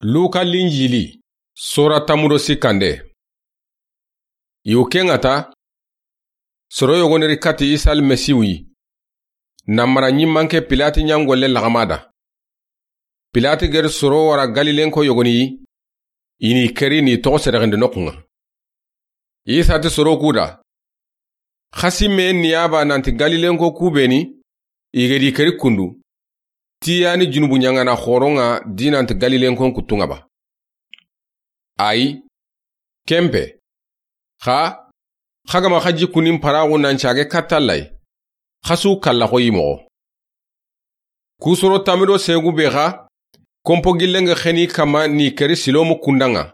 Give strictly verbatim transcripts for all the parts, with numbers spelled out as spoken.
Luka Linjili, sora tanmu do sikkande. I wo ke ŋa ta, soro yogoni ri kati Isa Almasihu yi, na mara ɲimmanke Pilati ɲangolle laxama da. Pilati ga ri soro wara Galilenko yogoni yi, i n'i keri n'i toxo sedexindi noxun ŋa. Isa ti soro ku da, xa simme ni ya ba nanti Galilenko ku be ni, i ga di keri kundu, ti ya ni junubu ɲaŋana xoron ŋa di nanti Galilenkon kuttun ŋa ba? Ayi, ken pe. Xa, xa ga ma xa jikkunin paraxu nan cage katta Alla yi, xa su kalla xo yi moxo. Ku soro tanmi do segu be xa, konpo gillen ga xeni kanma n'i keri Silomu kundan ŋa.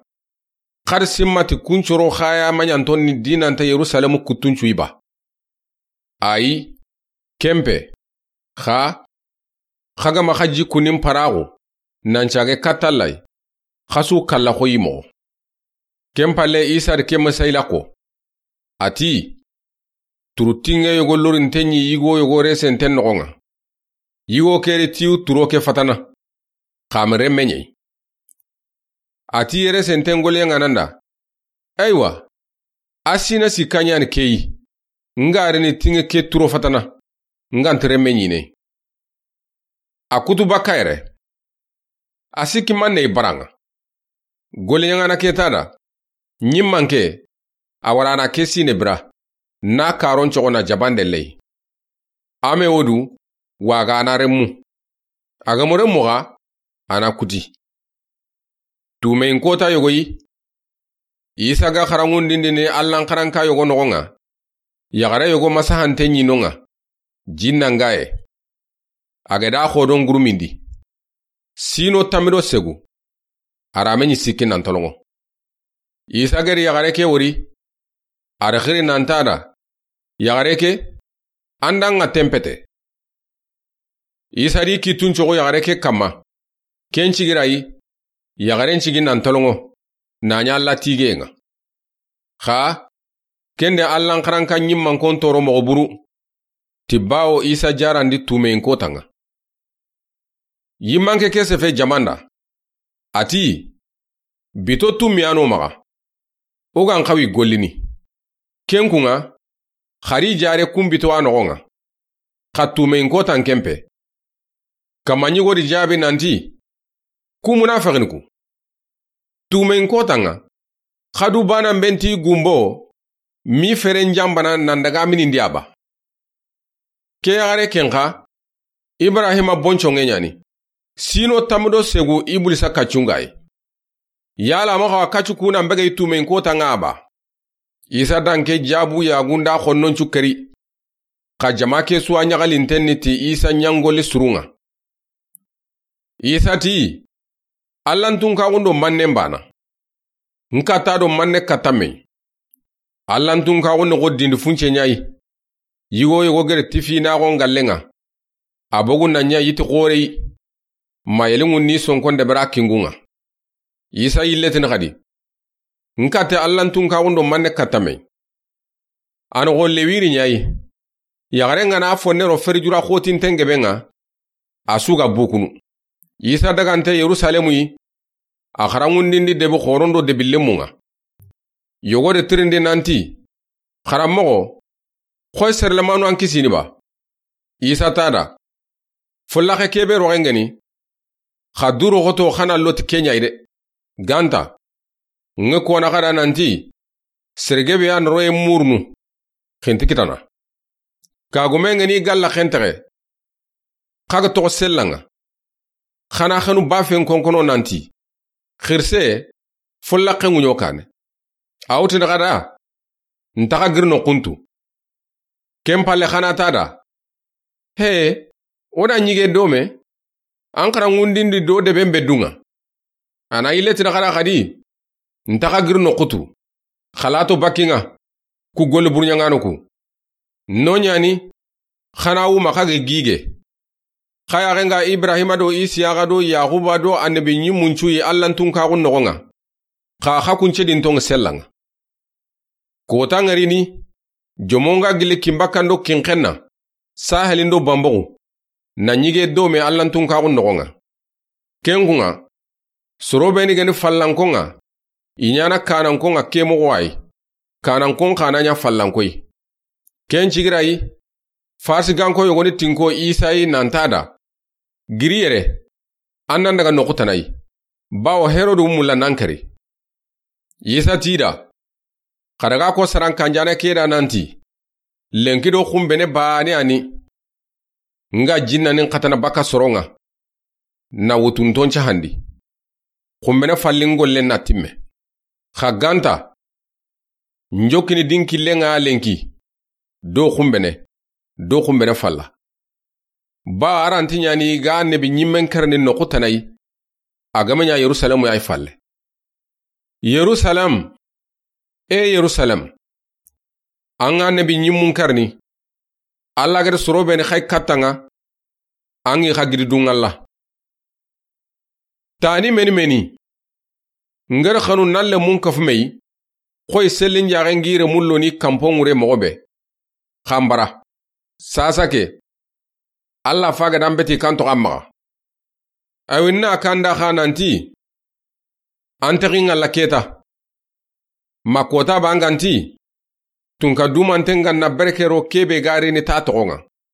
Xa ri simmati kun coro xa ya maɲanton ni di nanta Yerusalemu kuttun cu yi ba? Ayi, ken pe. Xa, xa ga ma xa jikkunin paraxu nan cage katta Alla yi, xa su kalla xo yi moxo. Ken palle Isa ri ke masayila ko. A ti, turu tinŋe yogo lorinten ɲi yigo yogo resenten noxon ŋa. Yigo ke ri tiyu turo ke fatana, xa ma renme ɲa yi. A ti resenten goliyen ŋa nan da, ayiwa, a sina sikka ɲa ni ke yi, n ga ri ni tinŋe ke turo fatana, n ga nta renme ɲiini. A kutu bakka yere. A sikki manne i bara ŋa. Goliyen ŋa na ke ta da, ɲimmanke, a wara na ke sine bira, na karon coxo na jabande ley. A me wo du, wa ga a na renmu. A ga ma renmu xa, a na kuti. Tumeyin kota yogo yi. Isa ga xaranŋundindini Allan xaranka yogo noxon ŋa, yaxare yogo masahante ɲi non ŋa, jinnan ga ye. A ga da xodon gurumindi. Sino tanmi do segu. A ra me ɲi sikki nan tolonŋo. Isa ga ri yaxare ke wori. A ri xiri nan ta da, yaxare ke, an da ŋa tenpete. Isa ri kittun coxo yaxare ke kanma. Ken cigi ra yi, yaxaren cigi nan tolonŋo, na ɲa Alla tigeyen ŋa. Xa, ken de Allan xaranka ɲimmankon toro moxo buru, ti bawo Isa jarandi tumeyin kotan ŋa. Yimmanke ke sefe jaman da. A ti, bito tummiyano maxa. O ga n xawi gollini. Ken kun ŋa, xa ri jare kun bito a noxon ŋa. Xa tumeyin kotan ken pe. Kanma ɲigo di jaabi nanti, ku munafexini ku. Tumeyin kotan ŋa, xa du banan be nti gumbo, mi feren janbana nan daga minindi a ba. Ke yaxare ken xa, Ibrahima bonconŋe ɲa ni. Sino tanmi do segu Ibulisa kaccun ga yi. Yala ma xa wa kaccu ku nan bege i tumeyin kotan ŋa a ba? Isa da n ke jaabu yagunda xonnon cu keri. Xa jama ke su wa ɲaxalinten ni ti Isa ɲangoli surun ŋa. Isa ti, Allan tunkaxun do mannen bana. N katta do manne katta me yi. Allan tunkaxun ni xo dindi funce ɲa yi. Yigo yogo ga ri tifinaxon gallen ŋa, a bogu na ɲa yiti xoore yi. Ma yelinŋun ni sonkon debera kingun ŋa. Isa yilletini xadi. N katte Allan tunkaxun do manne katta me yi. A noxo lewiri ɲa yi. Yaxaren ga na fonne ro ferijura xotinten geben ŋa, a su ga bukunu. Isa dagante Yerusalemu yi. A xaranŋundindi debi xoron do debi lemmun ŋa. Yogo de tirindi nanti, xaranmoxo, xoy serelamanu an kisini ba? Isa ta da, follaxe kebe roxen ga ni, xa duro xoto xa na loti ke ɲa yi de. Ganta, ŋe kona xa da nanti, sergebe ya n roye murunu, xinti kitana. Kagumen ga ni galla xentexe, xa ga toxo sellan ŋa. Xa na xenu bafen konkono nanti, xirise, follaxe ŋuɲo kane. A wutini xa da, n taxa giri noxuntu. Ken palle xa na ta da, he, o da ɲige dome, an xaranŋundindi do deben be dun ŋa. A na yilletini xa da xadi, n taxa giri noxutu, xalato bakki ŋa, ku golli burɲaŋano ku. No ɲa ni, xa na wuma xa ga gige. Xa yaxen ga Ibrahima do Isiyaxa do Yaxuba do annabi ɲimmun cu yi Allan tunkaxun noxon ŋa. Xa xa kunce di n toŋa sellan ŋa. Kota ŋa ri ni, jomon ga gilli kinbakkan do kinxenna, sahelin do banboxu, na ɲige dome Allan tunkaxun noxon ŋa. Ken kun ŋa, Soro be ni ga ni fallankon ŋa, i ɲaana kaanankon ŋa ke moxo yi. Kaanankon xa na ɲa fallanko yi. Ken cigira yi, Farisiganko yogoni tinko Isa yi nan ti a da: Giri yere, an nan daga noxu tana yi, bawo Herodu mulla nan kari. Isa ti i da: Xa daga ko saran kanjaane ke da nan ti, lenki do xunbene baane ya ni, n ga jinnanin xatana baka soron ŋa, na wutunton cahandi. Xunbene fallin gollen na timme. Xa ga nta, n jokkini di n killen ŋa lenki, do xunbene, do xunbene falla. Ba a ra nti ɲaana i ga annabi ɲimmen karani noxu tana yi, a ga ma ɲa Yerusalemu ya yi falle. Yerusalem, e Yerusalem, an ga annabi ɲimmun karani, Alla ga da soro be ni xa i katta ŋa, an ŋa i xa gidi dun Alla. Tani meni meni, n ga da xanu na lemun kafu me yi, xoyi sellin jaxen gire mullo ni kanpon ŋure moxo be. Xanbara. Sasa ke, Alla fa ga da n beti kan toxo an maxa. Awi na kanda xa nan ti, an taxi ŋalla keta. Ma kota ba n ga nti, tunka dumanten ga na berkero ke be ga ri ni ta toxon ŋa.